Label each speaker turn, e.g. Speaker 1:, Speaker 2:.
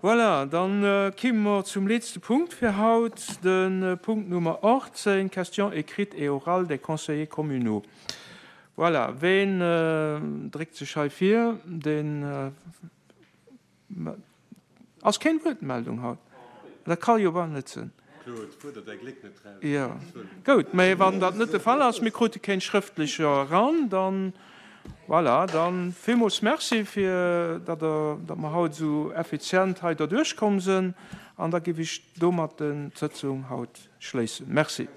Speaker 1: Voilà, dann kime mer zum letzte Punkt fir haut, de Punkt Nummer 18, Questions écrites et orales des conseillers communaux. Voilà, ween dréckt sech hei vir? Deen Ass keng Wuertmeldung haut? Dat ka jo bal net sinn.
Speaker 2: Claude, fuerder däi Gléck net raus.
Speaker 1: Jo, goud, mä wann dat net de Fall ass, mir krute keng schrëftlecher eran, dann, voilà, dann villmools Merci fir datt Der, datt mer haut esou effizient hei derduerch komm sinn an da géif ech domat d'Sëtzung haut schléissen. Merci.